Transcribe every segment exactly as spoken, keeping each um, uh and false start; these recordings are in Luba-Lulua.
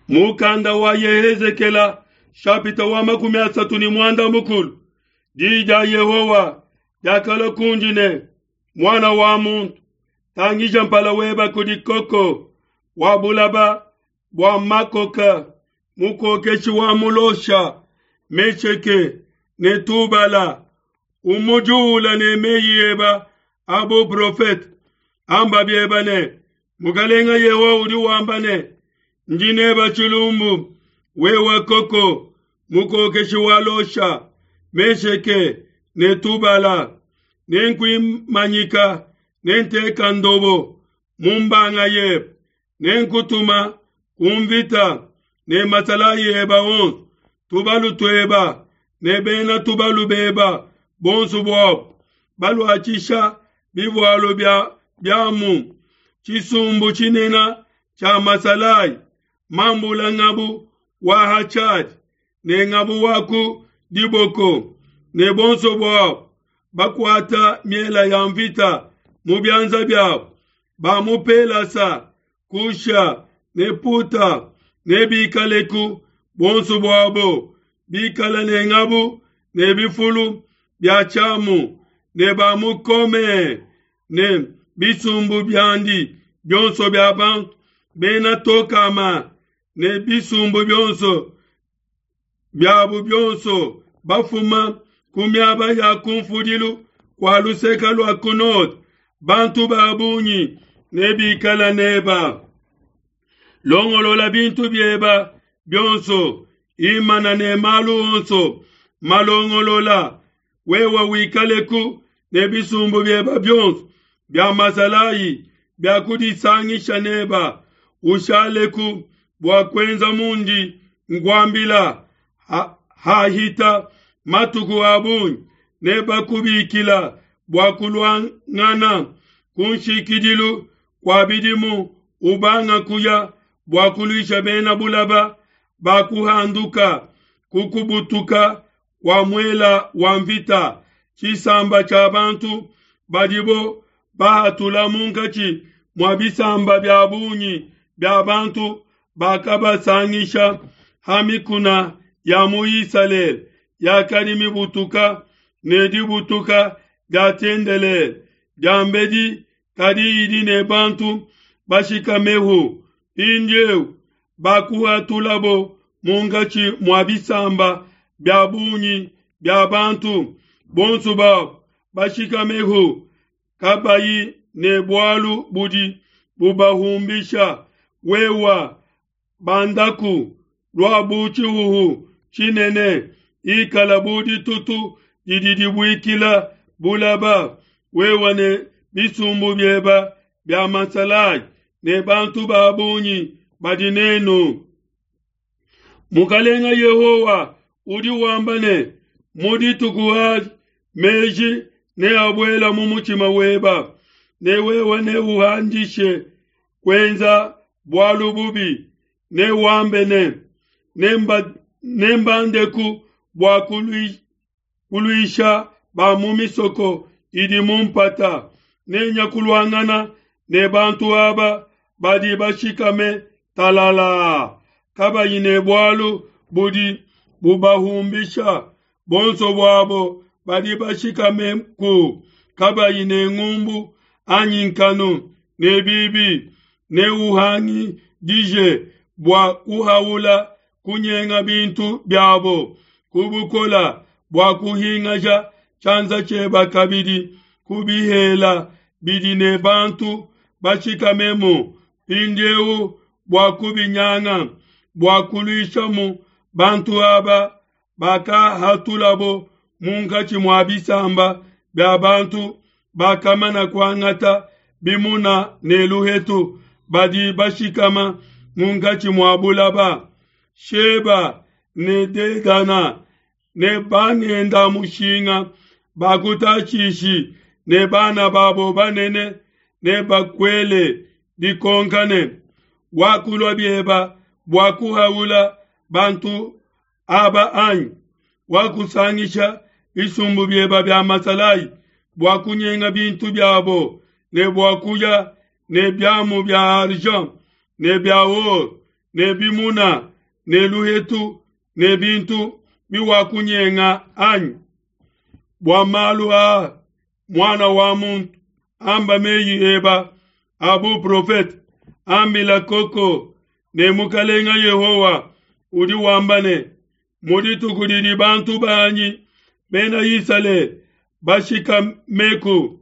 Mukanda wa Yehezekela shapita wa makumi asatu ne muanda mukulu. Diyi dia Yehowa diakalua kundi ne, muana wa muntu, tangija mpala weba kudi koko wa bulaba bua makoka, mukokeshi wa mulosha, Mesheke ne Tubala, umujuula ne meyi eba a buprofete. Amba bieba ne, Mukalenga Yehowa udi wamba ne, ndi neba tshilumbu, wewe koko, mukokeshi wa Losha, Mesheke ne Tubala, nenkuimanyika, nenteka ndobo mu mbanga yebe, nenkutuma ku mvita ne masalayi eba onso, tubalu tueba ne bena tubalu beba bonso buabu, baluatshisha bivualu bia biamu, tshisumbu tshinene tshia masalayi, mambula ngabu wa hachadi ne ngabu wa ku diboko, ne bonso buabu bakuata miela ya mvita mu bianza biabu, ba mu Pelasa, Kusha ne Puta ne bikaleku bonso buabo, bikala ne ngabu ne bifulu bia tshiamu, ne ba mu Kome ne bisumbu biandi bionso bia bantu bena Tokama ne bisumbu bionso biabu bionso bafuma ku miaba ya kumfudilu kua luseka lua ku node, bantu ba bungi ne bikala neba. Longolola bintu bieba bionso, imana ne malu onso malongolola, wewe wikaleku ne bisumbu bieba bionso bia masalayi bia kudisangisha neba, ushaleku bua kuenza mundi nkuambila. Ha, hahita matuku a bungi nebakubikila bua kuluangana ku nshikidilu kua bidimu, ubanga kuya bua kuluisha bena bulaba bakuhanduka kukubutuka kua muela wa mvita, tshisamba tshia bantu badibo bahatula munkatshi mua bisamba bia bungi bia bantu bakabasangisha ha mikuna ya mu Isalele yakadi mibutuka ne dibutuka dia tshiendelele diambedi, kadi idi ne bantu bashikamehu. Mpindieu bakuhatulabo munkatshi mua bisamba bia bungi bia bantu, bonso babo bashikamehu kabayi ne bualu budi bubahumbisha. Wewa bandaku lua bu tshihuhu tshinene, ikala bu ditutu didi dibuikila bulaba, wewa ne bisumbu bieba bia masalayi ne bantu ba bungi badi nenu. Mukalenga Yehowa udi wamba ne, mu dituku adi meji neabuela mu mutshima weba, ne wewe neuhandishe kuenza bualu bubi, newambe ne, nemba nembandeku bua kuluisha ba mu misoko idi mu mpata, nenya kuluangana ne bantu aba badi bashikame talala, kabayi ne bualu budi bubahumbisha, bonso buabo badi bashikame ku kabayi ne ngumbu anyi nkanu ne bibi, neuhangidije bua kuhaula kunyenga bintu biabo kubukola bua kuhingaja tshianza tshieba kabidi kubihela bidi ne bantu bashikamemu mpindieu bua kubinyanga, bua kuluishamu bantu aba bakahatulabo munkatshi mua bisamba bia bantu bakamana kuangata bimuna ne luhetu, badi bashikama munkatshi mua bulaba. Sheba ne Dedana ne bangenda mushinga ba ku Tashishi ne bana babo banene ne bakuele dikonka ne, wakulua bieba bua kuhaula bantu aba anyi? Wakusangisha bisumbu bieba bia masalayi bua kunyenga bintu biabo ne bua kuya ne biamu bia argent ne bia or ne bimuna ne luhetu ne bintu biwakunyenga anyi? Bua malu aa, muana wa muntu, amba meyi eba a buprofete, ambila koko ne mukalenga Yehowa udi wamba ne, mu dituku didi bantu banyi bena Isalele bashikameku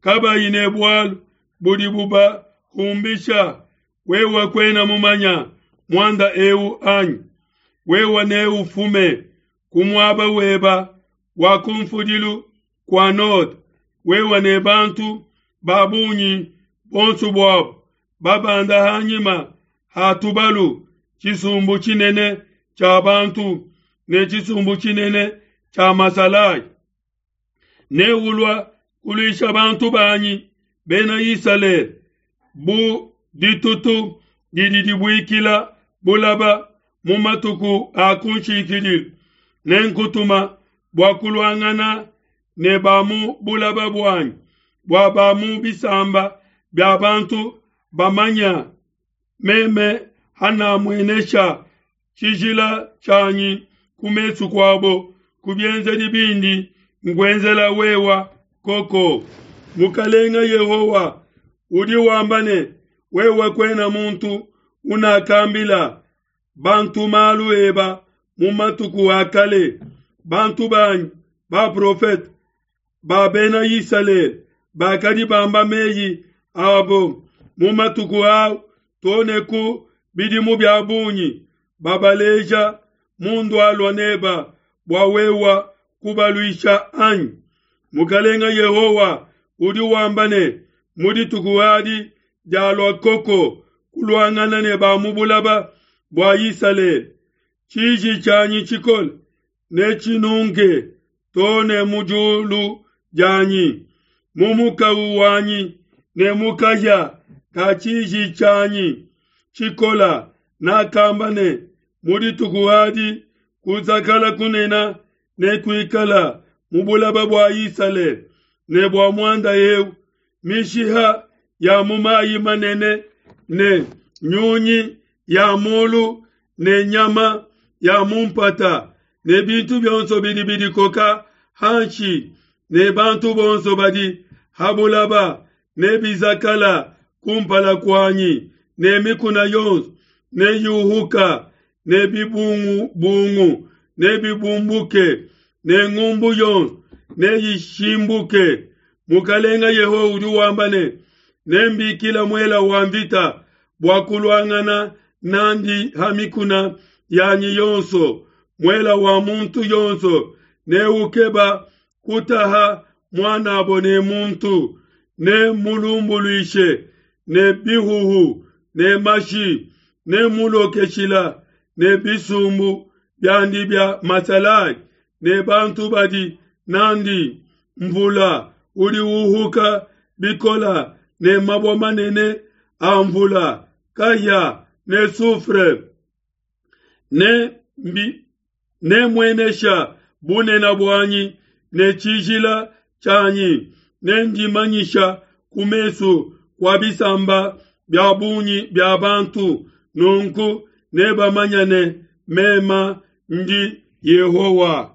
kabayi ne bualu budi bubahumbisha, wewe kuena mumanya muanda eu anyi? Wewe neufume ku muaba weba wa kumfudilu kua node, wewe ne bantu ba bungi bonso buabo babanda hanyima ha tubalu, tshisumbu tshinene tshia bantu ne tshisumbu tshinene tshia masalayi. Neulua kuluisha bantu banyi bena Isalele bu ditutu didi dibuikila bulaba mu matuku a kunshikidilu. Nenkutuma bua kuluangana ne ba mu bulaba buanyi, bua ba mu bisamba bia bantu bamanya meme hanamuenesha tshijila tshianyi ku mesu kuabo ku bienzedi bindi nkuenzela wewa koko. Mukalenga Yehowa udi wamba ne, wewe kuena muntu unakambila bantu malu eba mu matuku a kale, bantu banyi baprofete ba bena Isalele bakadi bamba meyi abo mu matuku au too ne ku bidimu bia bungi, babaleja mundualua neba bua wewa kubaluisha anyi? Mukalenga Yehowa udi wamba ne, mu dituku adi dialua koko kuluangana ne ba mu bulaba bua Isalele, tshiji tshianyi tshikole netshinunke too ne mu diulu dianyi, mu mukawu wanyi ne mu kahia ka tshiji tshianyi tshikola. Nakamba ne, mu dituku adi kuzakala kunene nekuikala mu bulaba bua Isalele, ne bua muanda eu mishiha ya mu mayi manene ne nyunyi ya mulu ne nyama ya mu mpata ne bintu bionso bidi bidikoka hanshi ne bantu bonso badi ha bulaba ne bizakala kumpala kuanyi, ne mikuna yonso neyuhuka ne bibungubungu nebibumbuke ne ngumbu yonso neyishimbuke. Mukalenga Yehowa udi wamba ne, nembikila muela wa mvita bua kuluangana nandi ha mikuna yanyi yonso. Muela wa muntu yonso neukeba kutaha muanabo ne muntu, ne mulumbuluishe ne bihuhu ne mashi, ne mulokeshila ne bisumbu biandi bia masalayi ne bantu badi nandi. Mvula udi uhuka bikola ne mabue manene a mvula, kahia ne soufre. Ne mbi nemuenesha bunene buanyi ne tshijila tshianyi, nendimanyisha ku mesu kua bisamba bia bungi bia bantu. Nunku nebamanya ne mema ndi Yehowa.